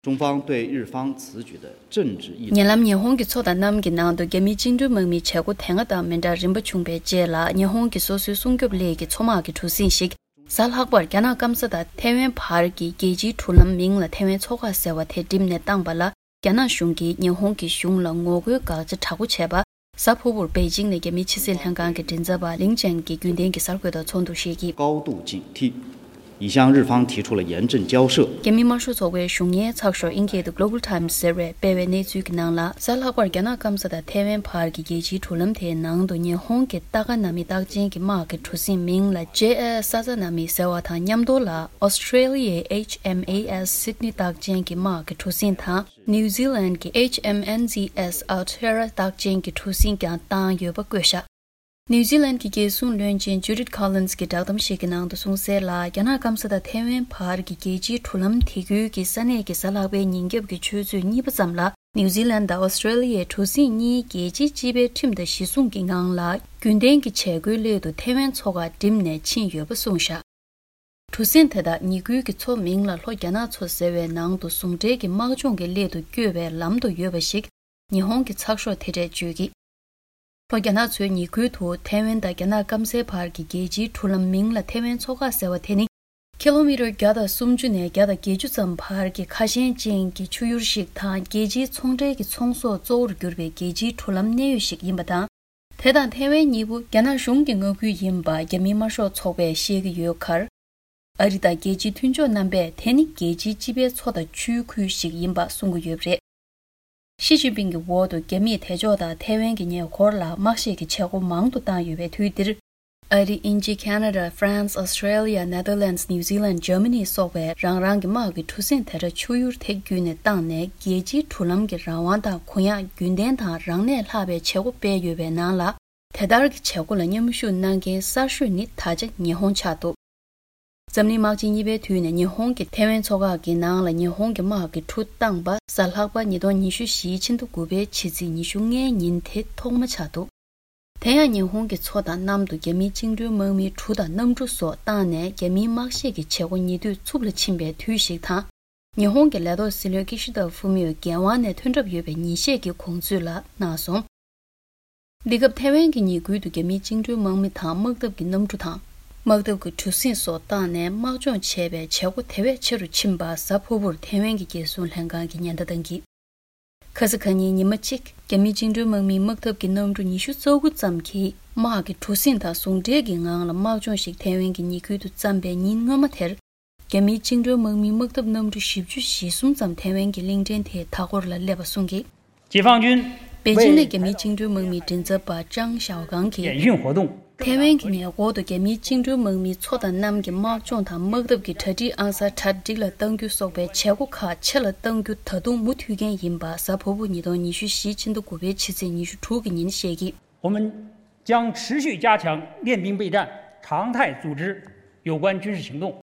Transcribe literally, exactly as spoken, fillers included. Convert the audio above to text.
中方对日方此举的政治意图。 ཉེ་ལམ་ཉི་ཧོང་གི་མཚོ་དང་གནམ་གྱི་ནང་དུ་རྒྱ་མིའི་བཅིངས་འགྲོལ་དམག་མིའི་བྱེད་སྒོ་དེ་སྔ་དང་མི་འདྲ་རིམ་པ་བྱུང་བའི་རྗེས་ལ། ཉི་ཧོང་གི་སོ་སོའི་སྲུང་སྐྱོབ་སླད་ཀྱི་མཚོ་དམག་གི་གྲུ་གཟིངས་ཤིག་གཟའ་ལྷག་པར་རྒྱ་ནག་སྐམ་ས་དང་ཐའེ་ཝན་བར་གྱི་རྒྱལ་སྤྱིའི་གྲུ་ལམ་མིང་ལ་ཐའེ་ཝན་མཚོ་ཁ་ཟེར་བ་དེ་བསྒྲིམས་ནས་བཏང་པ་ལ། རྒྱ་ནག་གཞུང་གིས་ཉི་ཧོང་གི་གཞུང་ལ་ངོ་རྒོལ་དགག་བྱ་དྲག་པོ་བྱས་པ། གཟའ་ཕུར་བུར་པེ་ཅིང་ནས་རྒྱ་མིའི་ཕྱི་སྲིད་ལྷན་ཁང་གི་མགྲིན་ཚབ་པ་ལིང་ཅན་གྱིས་རྒྱུན་ལྡན་གྱི་གསར་འགོད་དང་ཚོགས་འདུ་ཞིག་གིས། 高度警惕，已向日方提出了严正交涉。 རྒྱ་མི་དམར་ཤོག་ཚོགས་པའི་གཞུང་གཉེར་ཚགས་ཤོག་ཨིན་སྐད་དུ་Global Times ཟེར་བས་སྤེལ་བའི་གནས་ཚུལ་གྱི་ནང་ལ། གཟའ་ལྷག་པར་རྒྱ་ནག་སྐམ་ས་དང་ཐའེ་ཝན་བར་གྱི་རྒྱལ་སྤྱིའི་གྲུ་ལམ་དེའི་ནང་དུ་ཉི་ཧོང་གི་ཏཱ་ཀ་ན་མི་རྟགས་ཅན་གྱི་དམག་གི་གྲུ་གཟིངས་མིང་ལ་ཇེ་ཨེ་ཨེས་ས་ཛ་ན་མི་ཟེར་བ་དང་མཉམ་དུ་ལ། ཨོ་སི་ཁྲེ་ལི་ཡའི་ཨེཆ་ཨེམ་ཨེ་ཨེས་Sydney རྟགས་ཅན་གྱི་དམག་གི་གྲུ་གཟིངས་དང་། ནིའུ་ཛི་ལན་གྱི་ཨེཆ་ཨེམ་ཨེན་ཛི་ཨེས་Altera རྟགས་ཅན་གྱི་གྲུ་གཟིངས་ཀྱང་བཏང་ཡོད་པ་བཀོད་བཞག་ནིའུ་ཛི་ལན་གྱི་རྒྱལ་སྲུང་བློན་ཆེན་ཇུ་ཌིད་ཁོ་ལིན་སི་གྱིས་བསྒྲགས་གཏམ་ཞིག་གི་ནང་དུ་གསུངས་གསལ་ལ། རྒྱ་ནག་སྐམ་ས་དང་ཐའེ་ཝན་བར་གྱི་རྒྱལ་སྤྱིའི་གྲུ་ལམ་དེ་ཁུལ་གྱི་ས་གནས་ཀྱི་གཟའ་ལྷག་པའི་ཉིན་རྒྱབ་ཀྱི་ཆུ་ཚོད་གཉིས་པ་ཙམ་ལ། ནིའུ་ཛི་ལན་དང་ཨོ་སི་ཁྲེ་ལི་ཡའི་གྲུ་གཟིངས་གཉིས་རྒྱལ་སྤྱིའི་སྤྱི་པའི་ཁྲིམས་དང་གཞི་བཟུང་གི་ངང་ལ། རྒྱུན་ལྡན་གྱི་བྱེད་སྒོའི་སླད་དུ་ཐའེ་ཝན་མཚོ་ཁར་འགྲིམས་ནས་ཕྱིན་ཡོད་པ་གསུངས་བཞག་གྲུ་གཟིངས་དེ་དག་ཉེ་ཁུལ་གྱི་མཚོ་མིང་ལ་ལྷོ་རྒྱ་ནག་མཚོ་ཟེར་བའི་ནང་དུ་ཟུང་འབྲེལ་གྱི་དམག་སྦྱོང་གི་སླད་དུ་བསྐྱོད་པའི་ལམ་དུ་ཡོད་པ་ཞིག་ཉི་ཧོང་གི་ཚགས་ཤོག་དེ་གྲས་བརྗོད་ཀྱིས། ལྷོ་རྒྱ་ནག་མཚོའི་ཉེ་ཁུལ་དུ་ཐའེ་ཝན་དང་རྒྱ་ནག་སྐམ་སའི་བར་གྱི་རྒྱལ་སྤྱིའི་གྲུ་ལམ་མིང་ལ་ཐའེ་ཝན་མཚོ་ཁ་ཟེར་བ་དེ་ནི། ཁི་ལོ་མི་ཊར་བརྒྱ་དང་སུམ་ཅུ་ནས་བརྒྱ་དང་བརྒྱད་ཅུ་ཙམ་བར་གྱི་ཁ་ཞེང་ཅན་གྱི་ཆུ་ཡུར་ཞིག་དང་། རྒྱལ་སྤྱིའི་ཚོང་འབྲེལ་གྱི་ཚོང་ཟོག་གཙོ་བོར་གྱུར་པའི་རྒྱལ་སྤྱིའི་གྲུ་ལམ་གནས་ཡུལ་ཞིག་ཡིན་པ་དང་། དེ་དང་ཐའེ་ཝན་གཉིས་པོ་རྒྱ་ནག་གཞུང་གི་མངའ་ཁུལ་ཡིན་པ་རྒྱ་མིའི་དམར་ཤོག་ཚོགས་པས་བཤད་ཀྱི་ཡོད་ཁར། ཨ་རི་དང་རྒྱལ་སྤྱིའི་མཐུན་ཕྱོགས་རྣམ་པས་དེ་ནི་རྒྱལ་སྤྱིའི་སྤྱི་པའི་མཚོ་དང་ཆུའི་ཁུལ་ཞིག་ཡིན་པ་གསུང་གི་ཡོད་པ་རེད། ཞི་ཅིན་ཕིང་གི་འོག་ཏུ་རྒྱ་མིས་དེ་ཕྱོགས་དང་ཐའེ་ཝན་གྱི་ཉེ་འཁོར་ལ་དམག་བཤེད་ཀྱི་བྱེད་སྒོ་མང་དུ་བཏང་ཡོད་པའི་དུས་འདིར། ཨ་རི། དབྱིན་ཇི། ཁ་ན་ཌ། ཧྥ་རན་སི། ཨོ་སི་ཁྲེ་ལི་ཡ། ནེ་དར་ལེན་སི། ནིའུ་ཛི་ལན། འཇར་མ་ནི་སོགས་པས་རང་རང་གི་དམག་གི་གྲུ་གཟིངས་དེ་འདྲ་ཆུ་ཡུར་དེ་བརྒྱུད་ནས་བཏང་ནས་རྒྱལ་སྤྱིའི་གྲུ་ལམ་གྱི་རང་དབང་དང་གུ་ཡངས་རྒྱུན་ལྡན་དང་རང་གནས་ལྷག་པའི་བྱེད་སྒོ་སྤེལ་ཡོད་པའི་ནང་ལ། དེ་ལྟར་གྱི་བྱེད་སྒོ་ལ་མཉམ་ཞུགས་གནང་མཁན་གསར་ཤོས་ནི་ད་ཆ་ཉི་ཧོང་ཆགས་འདུག་འཛམ་གླིང་དམག་ཆེན་གཉིས་པའི་དུས་ནས་ཉི་ཧོང་གིས་ཐའེ་ཝན་མཚོ་འགག་གི་ནང་ལ་ཉི་ཧོང་གི་དམག་གི་གྲུ་བཏང་པ་གཟའ་ལྷག་པ་ཉིས་སྟོང་ཉི་ཤུ་རྩ་བཞིའི་ཕྱི་ཟླ་དགུ་པའི་ཕྱི་ཚེས་ཉི་ཤུ་ལྔའི་ཉིན་དེ་ཐོག་མ་ཆགས་འདུག་དེ་ཡང་ཉི་ཧོང་གི་མཚོ་དང་གནམ་དུ་རྒྱ་མིའི་བཅིངས་འགྲོལ་དམག་མིའི་གྲུ་དང་གནམ་གྲུ་སོགས་བཏང་ནས་རྒྱ་མིའི་དམག་གཤིས་ཀྱི་བྱེད་སྒོ་ཉེ་དུས་འཚུབ་ལ་ཕྱིན་པའི་དུས་ཤིག་དང་། ཉི་ཧོང་གི་ལས་ཐོག་སྲིད་བློན་ཀི་ཤི་ད་ཧྥུ་མིའོ་འགན་དབང་ནས་ཐོན་གྲབས་ཡོད་པའི་ཉིན་ཤས་ཀྱི་གོང་ཚུད་ལ་གནང་སོང་། འདི་སྐབས་ཐའེ་ཝན་གྱི་ཉེ་ཁུལ་དུ་རྒྱ་མིའི་བཅིངས་འགྲོལ་དམག་མི་དང་དམག་འཐབ་ཀྱི་གནམ་གྲུ་དང་། དམག་འཐབ་ཀྱི་གྲུ་གཟིངས་སོགས་བཏང་ནས་དམག་སྦྱོང་བྱས་པའི་བྱེད་སྒོ་དེ་བས་ཆེ་རུ་ཕྱིན་པ་གཟའ་ཕུར་བུར་ཐའེ་ཝན་གྱི་རྒྱལ་སྲུང་ལྷན་ཁང་གིས་ཉེན་བརྡ་བཏང་གིས། ཁ་སང་ཁ་ཉིན་ཉི་མ་གཅིག་རྒྱ་མིའི་བཅིངས་འགྲོལ་དམག་མིའི་དམག་འཐབ་ཀྱི་གནམ་གྲུ་ཉི་ཤུ་རྩ་དགུ་ཙམ་གྱིས་དམག་གི་གྲུ་གཟིངས་དང་ཟུང་འབྲེལ་གྱི་ངང་ལ་དམག་སྦྱོང་ཞིག་ཐའེ་ཝན་གྱི་ཉེ་ཁུལ་དུ་བརྩམས་པའི་ཉིན་སྔོན་མ་དེར། རྒྱ་མིའི་བཅིངས་འགྲོལ་དམག་མིའི་དམག་འཐབ་གནམ་གྲུ་བཞི་བཅུ་ཞེ་གསུམ་ཙམ་ཐའེ་ཝན་གྱི་གླིང་ཕྲན་དེའི་མཐའ་འཁོར་ལ་སླེབས་པ་གསུངས་ཀྱིས། 解放军 པེ་ཅིང་ནས་རྒྱ་མིའི་བཅིངས་འགྲོལ་དམག་མིའི་མགྲིན་ཚབ་པ་ཅང་ཞའོ་ཀང་གིས། 演训活动 ཐའེ་ཝན་གྱི་ཉེ་འཁོར་དུ་རྒྱ་མིའི་བཅིངས་འགྲོལ་དམག་མིའི་མཚོ་དང་གནམ་གྱི་དམག་སྦྱོང་དང་དམག་འཐབ་ཀྱི་གྲ་སྒྲིག་ཨང་གསར་གྲ་སྒྲིག་ལ་གཏང་རྒྱུ་སོགས་པའི་བྱེད་སྒོ་ཁག་ཆེ་ལ་གཏང་རྒྱུ་ད་དུང་མུ་མཐུད་མཁན་ཡིན་པ་གཟའ་ཕུར་བུ་ཉིས་སྟོང་ཉི་ཤུ་རྩ་བཞིའི་ཕྱི་ཟླ་དགུ་པའི་ཕྱི་ཚེས་ཉི་ཤུ་དྲུག་གི་ཉིན་བཤད་ཀྱིས། 我们将持续加强练兵备战，常态组织有关军事行动。